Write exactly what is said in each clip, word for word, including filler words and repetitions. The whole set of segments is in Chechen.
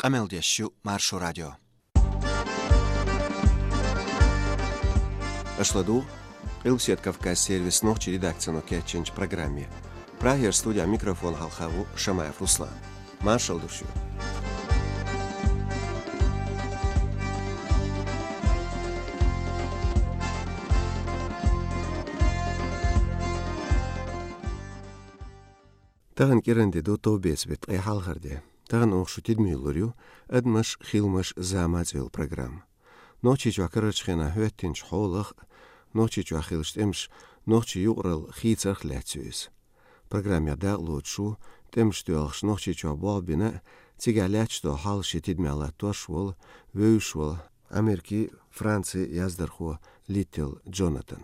Къамел деш ю Маршо радио. Аша ладугӀу Къилбседа Кавказ сервисан нохчийн редакцино кечйинчу программе. Прагера студехь микрофон хьалха ву Шамаев Руслан. Маршалла ду шуьга. Тахана кӀиранде ду товбеца беттан ткъе хьалхара де. Тахана оха шун тидаме лур ю «Адамаш, хиламаш, зама» цӀе йолу программа. Нохчийчохь карарчу хенахь хӀоьттинчу хьолах а, Нохчийчохь хиллачу тӀемаша нохчийн юкъаралла хийцарх а лаьцна ю иза. Программехь дакъалоцуш ву тӀемаш доьлхуш Нохчийчохь болх бина а, цигахь лаьтташ долу хьал шен тидамехь латтош а волу, вевзаш волу Америкин, Францин яздархо Литтл Джонатан.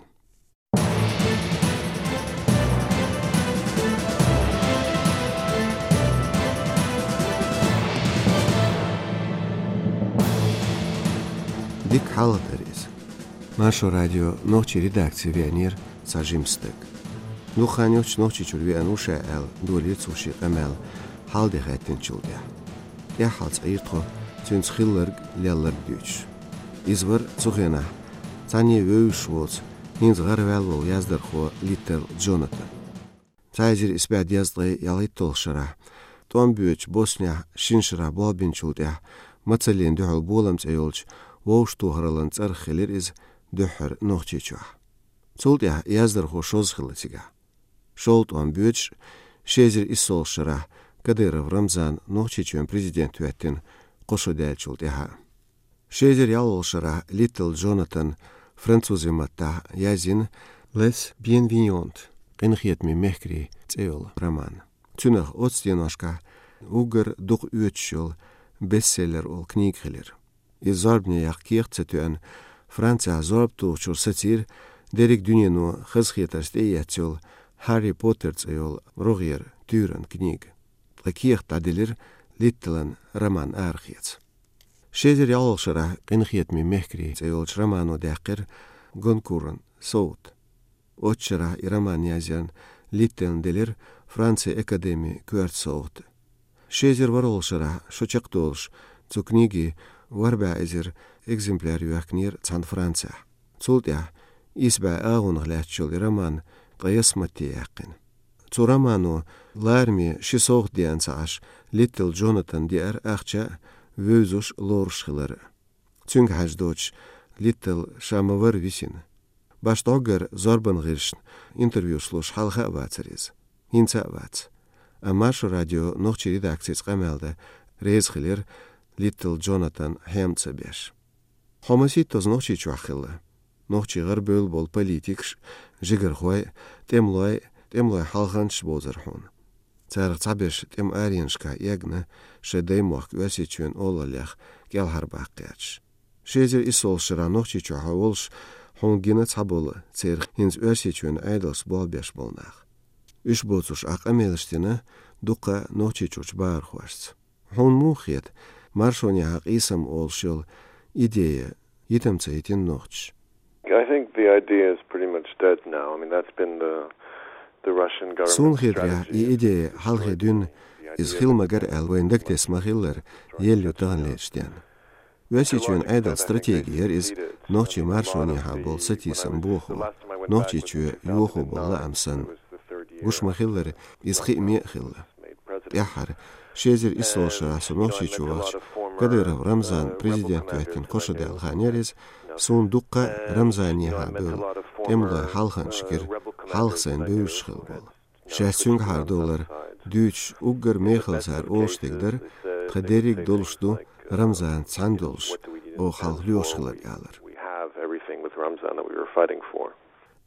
Дика хьалха дара иза. Маршо радион нохчийн редакци веанера цхьа жима стаг. Дукха хан йоццуш Нохчийчуьра веана ву ша аьлла, долийра цо шен къамел хьал де хаьттинчул тӀаьхьа. ТӀаьххьалц Ӏийра тхо цуьнца хилларг, лелларг дуьйцуш. Иза вара цу хенахь цхьаьна вевзаш воцу, хӀинца гӀараваьлла волу яздархо Литтл Джонатан. Цхьа эзар исс бӀе дезткъе ялхитталгӀачу шарахь, тӀом боьдучу Боснехь шина шарахь болх бинчул тӀаьхьа, Мацаллина дуьхьал болам цӀе йолчу вовшахтохараллин цӀарах хилира иза дуьххьара Нохчийчохь. Цул тӀаьхьа яздархо шозза хилла цигахь. ШолгӀа тӀом боьдуш, ши эзар иссолгӀачу шарахь Кадыров Рамзан Нохчийчоьнан президент хӀоьттина кхо шо даьллачул тӀаьхьа. Ши эзар ялхолгӀачу шарахь Литтл Джонатан французийн маттахь язйина «Les Bienveillants», «Къинхетаме мехкарий» цӀе йолу роман. Цуьнах оццу деношкахь уггар дукха оьцуш йолу бестселлер олу книга хилира. Иза зорбане яккха кехат ца тоьъна, Францехь зорба тухучуьра сацийра дерриг дуьнено хазахетарца тӀеэцна йолу «Хьарри Поттер» цӀе йолу рогӀера туьйранна книга. Ткъа кехат дӀаделира Литтлан роман арахеца. Ши эзар ялхолгӀачу шарахь «Къинхетаме мехкарий» цӀе йолчу романо даьккхира Гонкуран совгӀат. Оццу шарахь и роман язъярна Литтелна делира Францин академин коьрта совгӀат. Ши эзар ворхӀолгӀачу шарахь, шо чекхдолуш, цу книгин ворхӀ бӀе эзар экземпляр йоьхкинера цхьана Францехь. Цул тӀаьхьа исс бӀе агӀонах лаьтташ йолу и роман ткъе ялх матте яьккхина. Цу романо лараме ши совгӀат деана ца Ӏаш, Литтл Джонатан деара ахча а, вевзаш а, лоруш хилар а. Цуьнга хьаьжна доцуш, Литтл ша ма-варра висина. Башха дӀоггара зорбанан гӀирсашна интервьюш луш хьалха а вацара иза. ХӀинца а вац. Амма Маршо радион нохчийн редакцица къамел дан реза хилира, Литтл Джонатан хьем ца беш. Хьо масийттаза Нохчийчохь хилла. Нохчийн гӀарабевлла болу политикаш, жигархой, тӀемалой, тӀемалойн хьалханчаш бовзара хьуна. Царах цхьаберш тӀеман аренашкахь эгна, шайн даймохк Оьрсийчоьнан олаллех кӀелхьарбаккха гӀерташ. Ши эзар иссолгӀачу шарахь Нохчийчохь хьо волуш, хьуна гина цхьаболу церан хӀинца Оьрсийчоьнан Ӏедалшца болх беш болу нах. Уьш боцурш ахь къамелаш дина дуккха Нохчийчуьрчу бахархошца. Хьуна муха хета, маршонехьа къийсам олуш йолу идея йитам ца йитина нохчаша? I think the idea is pretty much dead now. I mean, that's been the, the Russian government's strategy. Суна хетарехь, и идея хьалхе дуьйна, иза хила магара аьлла вайна дагатесна ма-хиллара, елла ю таханлерчу денна. Оьрсийчоьнан Ӏедалан стратеги яра иза нохчийн маршонехьа болу сатийсам бохо, Нохчийчоь йохо болу лаам санна. Гуш ма-хиллара, иза хиъме а хилла. ТӀаьххьара, ши эзар иссолгӀачу шарахь со Нохчийчу вахча, Кадыров Рамзан президент хӀоьттина кхо шо даьлла хан яра иза, суна дуккха а Рамзанехьа бевлла тӀемалойн хьалханчаш гира, хьалха сайна бевзаш хилла болу. Шаьш цуьнгахьара долар дуьйцуш уггар мехала цара олуш дерг дара, тхан дерриг долуш ду Рамзанца цхьаьна долуш, оха хьалха лоьхуш хилар, алар. We have everything with Ramzan that we were fighting for.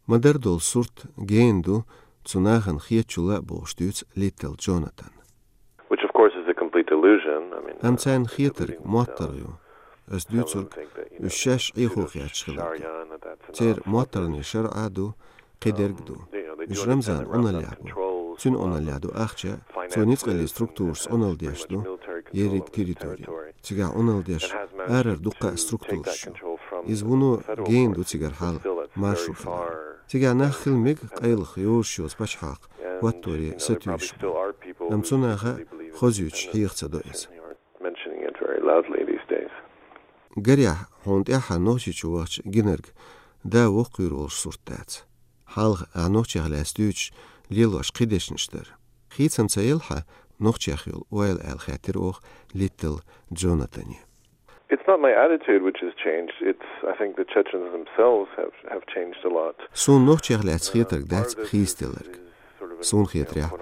Ма-дарра долу сурт гена ду цу нахана хетачул а, бохуш дуьйцу Литтл Джонатан. Which, of course, is a complete illusion. I mean, Амма царна хетарг моттаргӀа ю. Ас дуьйцург, уьш шаьш Ӏехо хеташ хиларг ду. Церан моттаргӀанийн шарӀа а ду, кхидерг а ду. Уьш Рамзанан Ӏуналлехь бу. Цуьнан Ӏуналлехь ду ахча, цо ницкъаллин структурашца Ӏуналла деш ду ерриг территори. Цигахь Ӏуналла деш арара дуккха а структураш ю. Иза вуно гена ду цигара хьал, маршо хилар. Цигахь нах хила мега, къайлаха йозуш йоцу пачхьалкх хӀотторе сатуьйсуш бу. Амма цу наха а хозуьйтуш хьеха ца до иза. It very loudly these days. Гарехь, хьуна тӀаьххьара Нохчийчу вахча гинарг да воккхавийр волуш сурт дац. Хьалха ахь Нохчех лаьцна дуьйцуш лелош кхин дешнаш дара. Хийцам ца елла хьан Нохчех йолу ойла аьлла хаьттира оха Литтл Джонатане. It's not my attitude which has changed. It's, I think, the Chechens themselves have, have changed a lot. Суна Нохчех лаьцна хетарг дац хийцаделларг. Суна хетарехь,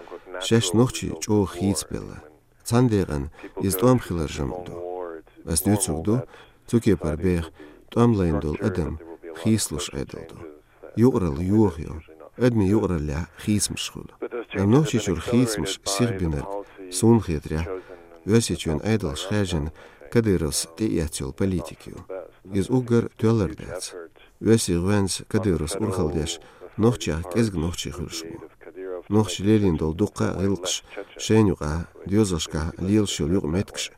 шаьш нохчий чӀогӀа хийцабелла. Цхьана декъана иза тӀом хилар жамӀ ду. Ас дуьйцург ду, цу кепара беха тӀом лайна долу адам хийцалуш Ӏедал ду. Юкъаралла йохайо, адамийн юкъараллехь хийцамаш хуьлу. Амма Нохчийчуьра хийцамаш сихбинарг, суна хетарехь, Оьрсийчоьнан Ӏедалша хаьржина Кадыровс тӀеэцна йолу политика ю. Иза уггар тоьллар дац. Оьрсийн гӀоьнца Кадыровс урхалла деш, Нохчех кӀезиг нохчий хуьлуш ву. Нохчаша лелийна долу дуккха а гӀиллакхаш, шайна юкъахь доьзалшкахь лелаш йолу юкъаметтигаш,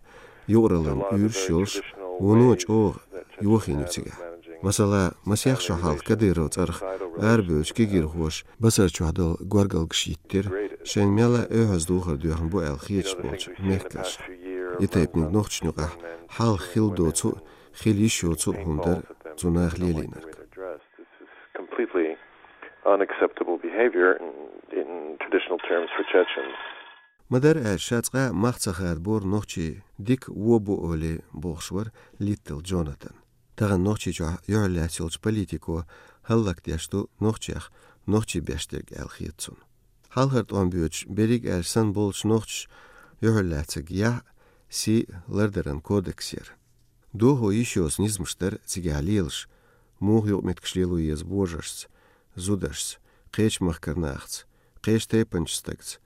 юкъараллин уьйраш йолуш, вуно чӀогӀа йохийна ю цигахь. Масала, масех шо хьалха Кадыров цӀарах арабевллачу кегийрхоша Басарчохь долу горгалгаш йиттира, шайна мелла а оьхьаз духар доьхна бу аьлла хеташ болчу мехкашка. И тайпаниг нохчашна юкъахь хьалха хилла доцу а, хила йиш йоцу а хӀума дара цу наха лелийнарг. This is completely unacceptable behavior in, in traditional terms for Chechens. Ма-дарра аьлча, ша цкъа а мах ца хадабора нохчий дика вон бу олий, бохуш вара Литтл Джонатан. Тахана Нохчийчохь юьхьарлаьцна йолчу политико хӀаллакдеш ду нохчех нохчий беш дерг аьлла хета цунна. Хьалхара тӀом боьдуш, берриг аьлча санна болчу нохчаша юьхьарлаьцнарг яхь, сий лардаран кодекс яра. Дохо йиш йоцу низамаш дара цигахь лелаш, муха юкъаметтигаш лело еза божаршца, зударшца, кхечу махкара нахаца, кхечу тайпанчу стагца.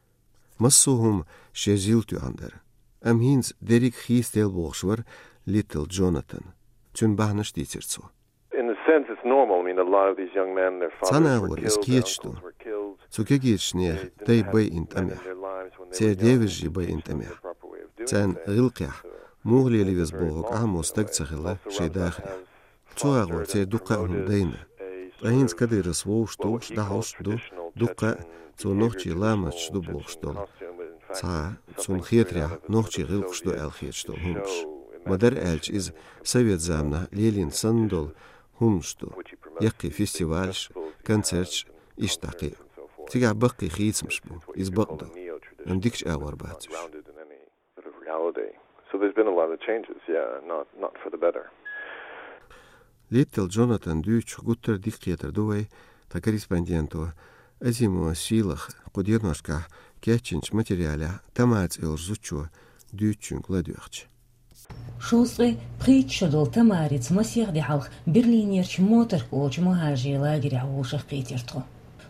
Массо а хӀума шен зил тоьхна дара. Амма хӀинца дерриг хийцаделла бохуш вара Литтл Джонатан. Цуьнан бахьанаш дийцира цо. In a sense, it's normal. I mean, a lot of these young men, their fathers were killed, their uncles were killed. Цхьана агӀор иза кхеташ ду. Цу кегийчу нехан дай байина тӀамехь. Церан девежарий байина тӀамехь. Царна гӀиллакхехь, муха лело веза бохург Ӏамо стаг ца хилла шайн дахарехь. Цу агӀор церан дуккха а хӀума дайна. Ткъа хӀинца Кадыровс вовшахтухуш, дӀахьош а ду, дуккха а цо нохчийн ламасташ ду бохуш долу. Цхьа, цунна хетарехь, нохчийн гӀиллакхаш ду аьлла хеташ долу хӀуманаш. Ма-дарра аьлча, иза совет заманахь лелийна санна долу хӀуманаш ду. Яккхий фестивалаш, концерташ, иштта дӀа кхин а. Цигахь баккхий хийцамаш бу, иза бакъ ду. Амма дикачу агӀор бац уьш. Sort of reality. So there's been a lot of changes, yeah, not, not for the better. Литтл Джонатан дуьйцуш гуттар а дика кхетар ду вай тхан корреспонденто Азимова Сийлаха кху деношкахь кечйинчу материалехь Тамара цӀе йолчу зудчо дуьйцучуьнга ладоьгӀча. Шовзткъе пхийтта шо долу Тамарица масех де хьалха Берлинерчу Моторка олучу мухӀажарийн лагерехь вовшахкхийтира тхо.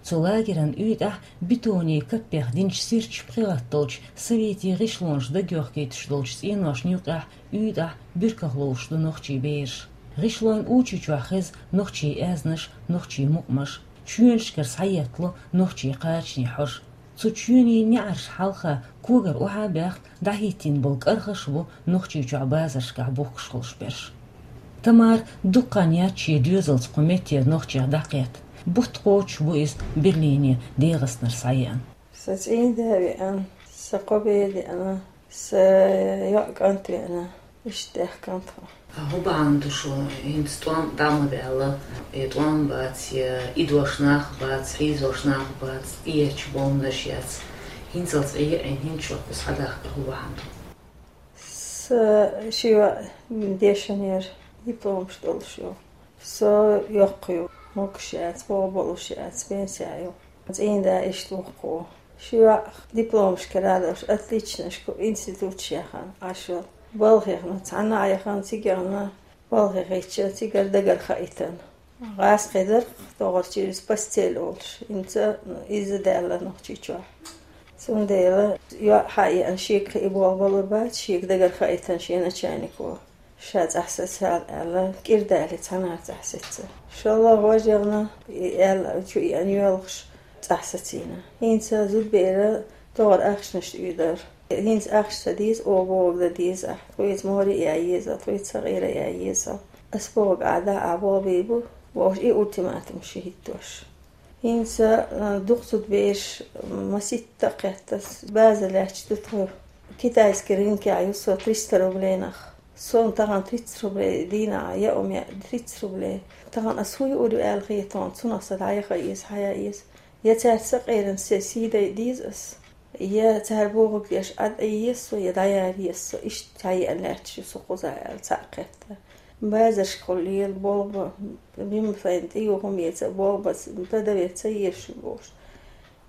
Цу лагеран уьйтӀахь бетонийн каппех динчу сирташ пхи гӀатталчу советийн гӀишлонаш дагайохкуьйтуш долчу цӀеношна юккъехь уьйтӀахь буьрках ловш ду нохчийн бераш. ГӀишлойн учу чохь хеза нохчийн аьзнаш, нохчийн мукъамаш, чоьнашкара схьаеттало нохчийн кхачанийн хьожа. Цу чоьнийн неӀарш хьалха когара охьа а баьхна, дӀахӀиттийна болу кӀархаш а бу Нохчийчохь базаршкахь бухкуш хуьлуш берш. Тамара дукха хан яц шен доьзалца кху меттера нохчех дӀакхетта. Бутт кхочуш бу иза Берлине ДегӀастанара схьаеана. Сан цӀийнда веана, сан кхо бер деана, сан йоӀ кӀант веана, иштта даьхкина тхо. ХӀун бахьана ду шуна хӀинца тӀом дӀа ма даьлла, я тӀом бац, я идош нах бац, хьийзош нах бац, тӀеэцча бомбанаш яц. ХӀинцалц Ӏе а Ӏийна, хӀинца шух кхуза схьадахкар хӀун бахьана ду? Сан ши йоӀ дешан яра, дипломаш долуш ю. Со йоккха ю, могуш яц, боху болуш яц, пенсехь ю. ЦӀийнда иштта ву-кх. Ши йоӀ дипломашкара а долуш, отличнашка институташ яхана Ӏаш йолу. Балхахь яхана, цхьанна а яхана, цига яхана, балхахь яхича, цигара дагара хаийтина. ГӀазкхи дара-кх тохара через постель олуш, хӀинца иза даьлла Нохчийчохь. Цундела йоӀ хьаеана, шега кхин болх балур бац, шега дагара хаийтина шен начальнико. Ша цӀахь сацал аьлла, кӀира далий цхьанхьара цӀахь сецна. ШоллагӀа важа яхана, и аьлла, чу еана йоьлхуш цӀахь сацийна. ХӀинца зудбера тохара ахчанаш тӀе дара. ХӀинца ахча ца деза, оха бохург дан деза ахь. Тхоьца море ян еза, тхоьца сакъера ян еза. Ас бохург ахь дахь, ахь болх бийр бу, бохуш, и ультиматум ши хӀиттош. ХӀинца, а, дукха зудбераш, м, маситта а кхетта, база лаьтташ ду тхо. Китайский рынке а ю со триста рублейнах. Сон тахан тридцать рублей дийнахьа яа ма яа, тридцать рублей. Тахан ас хӀу юур ю аьлла хетон, цунах сан дӀаяха иза, хьаяа иза. Я цаьрца къеран се сий дай деза ас, я цара бохург деш Ӏад Ӏе еза со, я дӀаяра еза со. Иштта хьаяа лаьтташ ю со кхуза аьлла, цхьаъ кхетта. Базаршкахула лела болба, бимма сайна тӀе ю хӀума эца, болба, продавец ца езаш ю бохуш.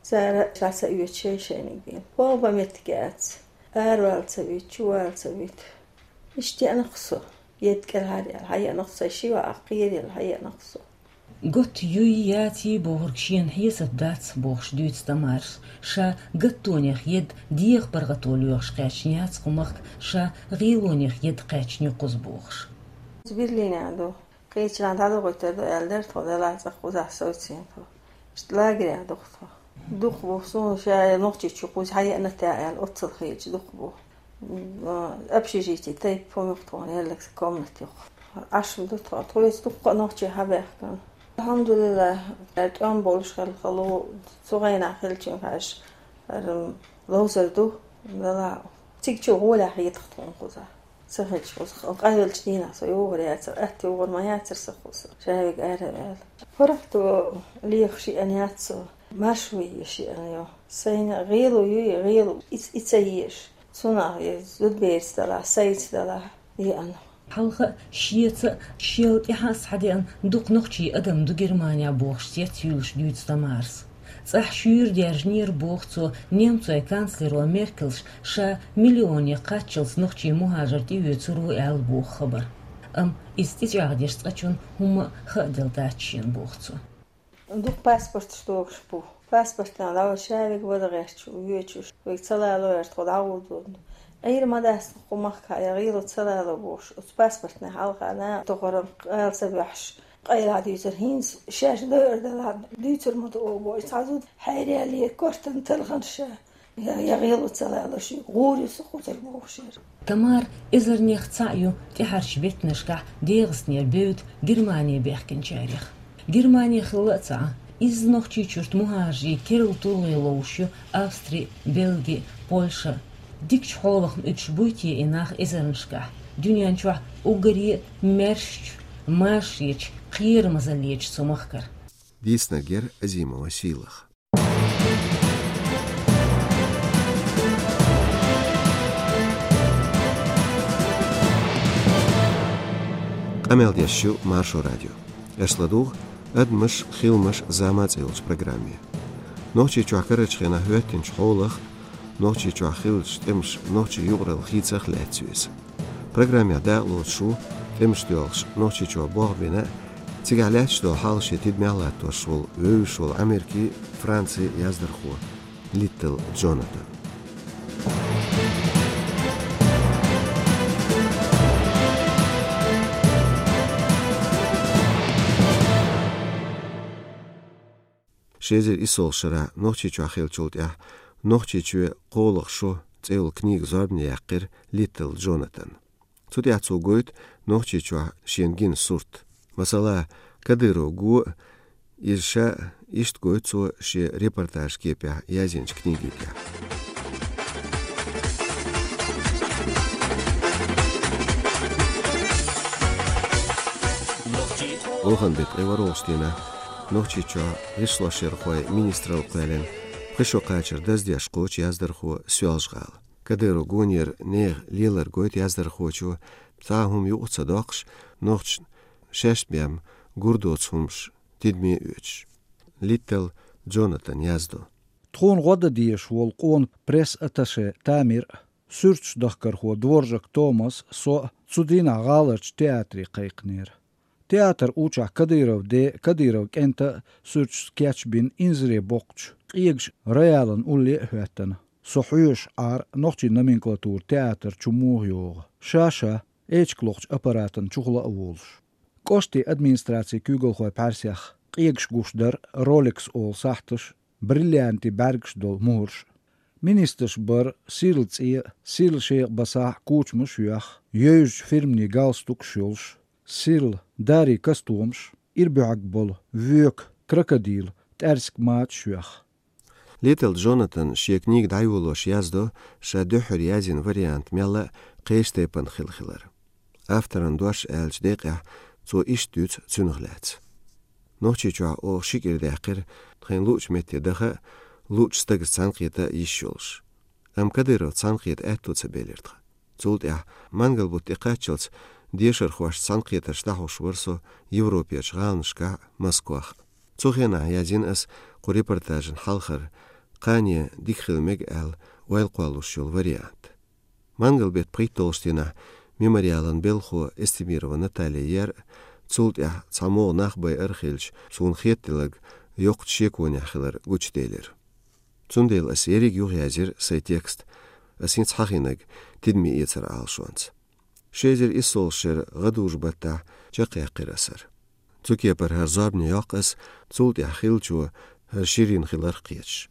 Цара ша ца оьцу шай-шайниг бен. Болба меттиг яц. Аравала ца вуьйту, чувала ца вуьйту. Иштта яанах со. Едда кӀелхьара яьлла хьаяанах со, ши ваӀа кхераелла хьаяанах со. Готта юй, яций бохург шена хьесап дац, бохуш дуьйцу Тамарас. Ша гаттонех едда деха паргӀато лоьхуш кхаьчна яц кху махка, ша гӀелонех едда кхаьчна ю кхуза бохуш. Берлинехь ду. Кхечанхьа дӀадохуьйтур ду аьлла дара тхо, делахь цӀаккха кхузахь совцийна тхо. Иштта лагерехь ду-кх тхо. Дукха бу суна ша нохчийчу кхуза хьаяана те аьлла, оццул хеташ дукха бу. М, общежитие тайпа хӀума ю-кх тхуна, еллакса комната ю-кх. Ӏаш ду тхо, тхоьца дуккха а нохчий хьабаьхкина. Алхьамдулиллахь, тӀом болуш хилла хало, цу гӀайнахь хилчунга хьаьжча, ара, ловзар ду, делахь цига чу гӀолехь хетах тхуна кхузахь. Ца хилча, къахьоьгучу дийнахь со йогӀур яцара, атта йогӀур ма яцара сан кхуза, шаверг ара а ваьлла. ПаргӀато лехаш еана яц со, маршо еш еана ю. Сайна гӀело юй, гӀело и, и ца еш. Цунах я зудаберца делахь, сайца делахь, еана. Хьалха а, шеца а, шел тӀаьхьа а схьадеана дукха нохчий адам ду Германехь бохуш цец юьллуш дуьйцу Тамарас. ЦӀахь шуьйра даьржинера, боху цо, немцойн канцлеро Меркелс ша миллионе кхаччалц нохчий мухӀажар тӀеоьцур ву аьлла боху хабар. Амма иза тӀечӀагӀдеш цкъачунна хӀумма а хааделла дац шена, боху цо. Дукха паспорташ догуш бу. Паспортана дӀа вай шаверг вада гӀерташ воьдуш, вайга ца лало аьлча тхо дӀагӀур ду. Ӏийр ма дац кху махкахь, я гӀело ца лало бохуш, оцу паспортна хьалха нах тохаран къала ца боьхьаш, къайлаха дуьйцур, хӀинца шаьш дойур делахь, дуьйцур ма ду оха боху, цхьа зуда хьайралле кортан талханаш ша. Я, я гӀело ца лалуш, гӀур ю со кхузара бохуш яра. Тамара эзарнех цхьаъ ю тӀаьхьарчу беттанашкахь ДегӀастанера бевдда Германе баьхкинчарех. Германе хилла а ца Ӏа, изза Нохчийчуьрчу мухӀажарийн керла тулгӀе ловзуш ю Австри, Бельги, Польша. Дикачу хьолах ма уьдуш буй те и нах эзарнашкахь, дуьнен чохь уггаре а маьршачу, машаречу, кхерамазаллечу цу махкара. Дийцинарг яра Азимова Сийлаха. Къамел деш ю Маршо радио. Аша ладугӀу «Адамаш, хиламаш, зама» цӀе йолчу программе. Нохчийчохь карарчу хенахь хӀоьттинчу хьолах, Нохчийчохь хиллачу тӀемаша нохчийн юкъаралла хийцах лаьцна ю иза. Программехь дакъалоцуш ву тӀемаш доьлхуш Нохчийчохь болх бина а, цигахь лаьтташ долу хьал шен тидамехь латтош волу, вевзаш волу Америкин, Францин яздархо Литтл Джонатан. Ши эзар иссолгӀачу шарахь Нохчийчохь хиллачул тӀаьхьа «Нохчийчоь кхоалгӀа шо» цӀе йолу книга зорбане яьккхира Литтл Джонатана. Цу тӀехь цо гойту Нохчийчохь шена гина сурт. Масала, Кадыров го а, иза ша а, иштта гойту цо шен репортажан кепехь язйинчу книгин тӀехь. Охан беттан ткъе ворхӀалгӀачу дийнахь Нохчийчохь гӀишлошъярхойн министралла кхоьллина пхи шо кхачар даздеш кхочу яздархо Соьлжа-ГӀала. Кадыров гонера нехан лелар гойту яздархочо, цхьа а хӀума юкъа ца доккхуш, нохчашна шаьш бен гур доцу хӀумаш тидаме а оьцуш. Литтл Джонатан яздо. Тхуна гӀо дан дезаш волу къона пресс-атташе Тамир а, суьрташ дахкархо Дворжак Томас а, со а цу дийнахь гӀаларчу театре кхайкхинера. Театр у чохь Кадыровн ден а, Кадыровн кӀентан а суьрташ кечбина инзаре боккхучу къегаш Раялан улле а хӀоьттина. Со хьоьжуш Ӏара нохчийн номенклатура театр чу муха йогӀу. Ша-ша, эчиг лохучу аппаратан чухула а волуш. КӀоштийн администрацин куьйгалхойн пхьаьрсех къегаш гуш дара Ролекс олу сахьташ, бриллиантийн бӀаьргаш долу мухӀарш. Министраш бара Сирла цӀе а, Сирла шекъа басахь а кучамаш а йоьхна, йевзачу фирманийн галстукаш йолуш. Сирла, Дарий костюмаш, ира буьхьиг болу, воьку, крокодил, тӀаьрсиг мачаш а йоьхна. Литл Джонатан шен книга дӀайолош яздо, ша дуьххьара язйина вариант мелла а кхечу тайпана хилла хилар. Авторан дош аьллачу декъехь цо иштта дуьйцу цуьнах лаьцна. Нохчийчохь оха ши кӀира даьккхира тхайна луучу метте даха а, луучу стагца цхьаьнакхета а йиш йолуш. Амма Кадыров цхьаьнакхета аьтто ца белира тхан. Цул тӀаьхьа мангал-бутт тӀекхаччалц дешархошца цхьаьнакхетарш дӀахьош вара со Европерчу гӀаланашкахь а, Москвахь а. Цу хенахь язйина аса кху репортажан хьалхара, кхане дика хила мега аьлла, ойла кхоллалуш йолу вариант. Мангал-беттан пхийтталгӀачу дийнахь Мемориалан белхахо Эстемирова Наталья яра, цул тӀаьхьа цхьа могӀа нах байар а хилча, суна хетаделларг йоккхачу шеконехь хилар гучуделира. Цундела аса ерриг юхаязйира сайн текст, аса хӀинца хьахийнарг тидаме эцар Ӏалашонца. Ши эзар иссолгӀачу шеран гӀадужу-баттахь чекхъяьккхира аса хӀара. Цу кепара хӀара зорбане йоккху аса, цул тӀаьхьа хиллачо хӀара ширйина хиларх а кхеташ.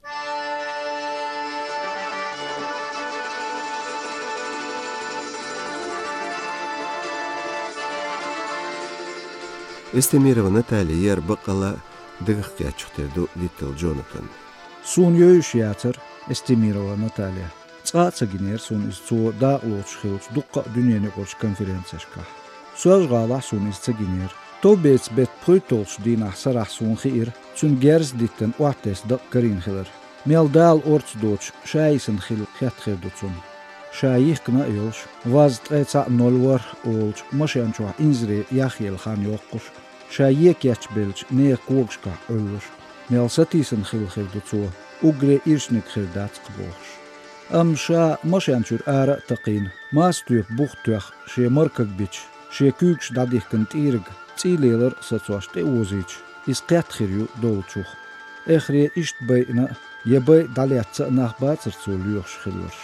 Эстемирова Наталья яра баккъалла а дагах кхеттачух тера ду Литл Джонатан. Суна йовзаш яцара Эстемирова Наталья. Цкъа а ца гинера суна иза цо дакъалоцуш хиллачу дуккха а дуьненаюкъарчу конференцешкахь. Соьлжа-ГӀалахь суна иза ца гинера. Товбецан беттан пхийтталгӀачу дийнахь сарахь суна хиира, цуьнан герз диттина охьатесна дакъа карийна хилар. Мел Дала орца доцуш, ша йисина хила хетта хир ду цунна. Ша йихкина а йолуш, ваз ткъе цхьаъ ноль ворхӀ олучу машен чохь инзаре яхъелла хан йоккхуш, ша е кечбеллачу нехан когашкахь Ӏуьллуш, мел сатийсина хилла хир ду цо, уггаре ирчаниг хир дац-кх бохуш. Амма ша машен чуьра ара а такхийна, маса тоьпан бух тоьхна, шен маркаг бича, шен куьйгаш дӀадихкина тӀийриг цӀий лелар а сацош тӀеозийча, иза кхетта хир ю доллучух. Эххаре иштта байина а, я байа дӀалетта а нах бацара цо лоьхуш хилларш.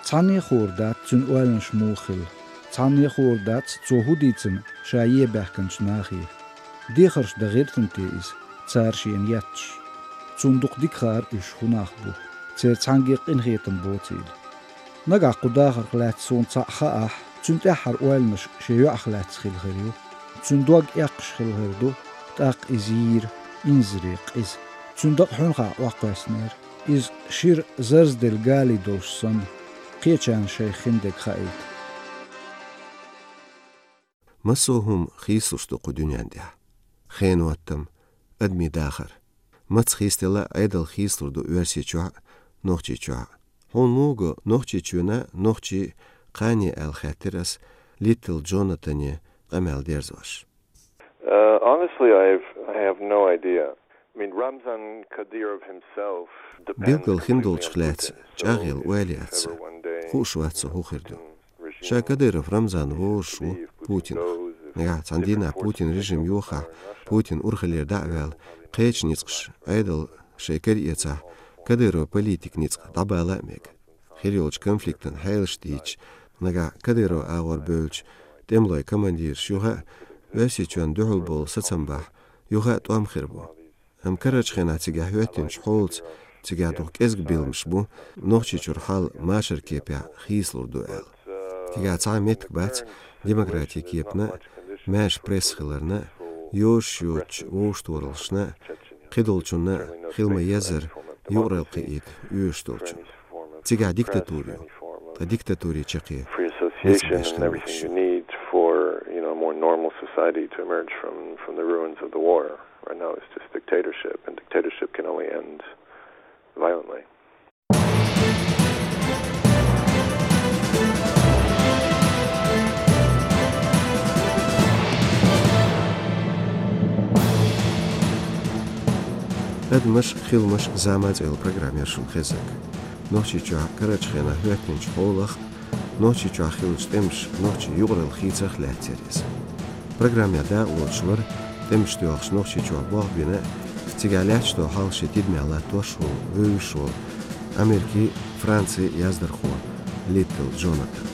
Цхьанне а хуур дац цуьнан ойланаш муха хилла. Цхьанне а хуур дац цо хӀун дийцина ша е баьхкинчу нахе. Дехарш дан гӀиртина те иза, цара шена етташ? Цунна дукха дика хаьара уьш хӀун нах бу, церан цхьаьнгге а къинхетам боцийла. Нагахь кху дахарх лаьцна суна цхьаъ хаахь, цуьнан тӀаьххьара ойланаш шен йоӀах лаьцна хилла хир ю. Цуьнан дог эккхаш хилла хир ду, тӀаккха иза йийра инзаре къиза. Цуьнан дакъа хьуьнхахь Ӏокхоьссинера, иза шира зарзделла гали долуш санна, кхечарна шайх хиндерг хаийта. Массо а хӀума хийцалуш ду кху дуьнен тӀехь. Хенан хӀоттам, адамийн дахар. Маца хийцаделла а Ӏедал хийцалур ду Оьрсийчохь а, Нохчийчохь а. Хьуна муха го Нохчийчоьнан а, нохчийн а кхане аьлла хаьттира аса Литл Джонатане къамел дерзош. Uh, honestly, I've, I have no idea. I mean, Ramzan Kadyrov himself depends completely on Putin. Билггал хиндолчух лаьцна чӀагӀъелла ойла яц сан. Хууш вац со хӀун хир ду. Ша Кадыров Рамзан вовзаш ву Путинах. Нагахь цхьана дийнахь Путин режим йохахь, Путин урхаллера дӀа а ваьлла, кхечу ницкъаша Ӏедал шайн кара эцахь, Кадыров политик ницкъ дӀабала а мега. Хир йолчу конфликтан хьелаш дийцича, нагахь Кадыров агӀор бевллачу тӀемалойн командираш юха а, Оьрсийчоьнна дуьхьал болу сацам бахь, юха а тӀом хир бу. Амма карарчу хенахь цигахь хӀоьттинчу хьолаца, цигахь дукха кӀезиг билламаш бу, Нохчийчуьра хьал машаран кепехь хийцалур ду аьлла. Цигахь цхьа а меттиг бац демократин кепана а, маьрша пресса хиларна а, йозуш йоцучу вовшахтохараллашна а, кхидолчунна а хила ма-еззара юкъаралла кхиийта оьшуш долчунна. Цигахь диктатура ю, ткъа диктатуре чаккхе Free ницкъ беш association and хила everything you need for, you know, a more normal society to emerge from, from the ruins of the war. Right now it's just dictatorship, and dictatorship can only end violently. «Адамаш, хиламаш, зама» цӀе йолу программа яра шуна хезнарг. Нохчийчохь карарчу хенахь хӀоьттинчу хьолах, Нохчийчохь хиллачу тӀемаша нохчийн юкъаралла хийцарх лаьцна яра иза. Программехь дакъалоцуш вара тӀемаш тоьлхуш Нохчийчохь болх бина а, цигахь лаьтташ долу хьал шен тидамехь латтош а волу, вевзаш а волу Америкин, Францин яздархо Литл Джонатан.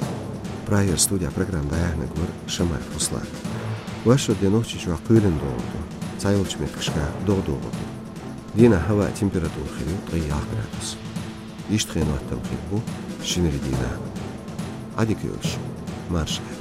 Прагера студехь программа дӀаяьхьнарг вара Шамаев Руслан. Вайшимма де Нохчийчохь кхоьлина догӀур ду, цхьайолчу меттигашкахь догӀа догӀур ду. Дийнахь хӀаваан температура хир ю ткъе ялх градус. Иштта хенан хӀоттам хир бу шинарин дийнахь. Ӏа дика йойла шу, марша Ӏа.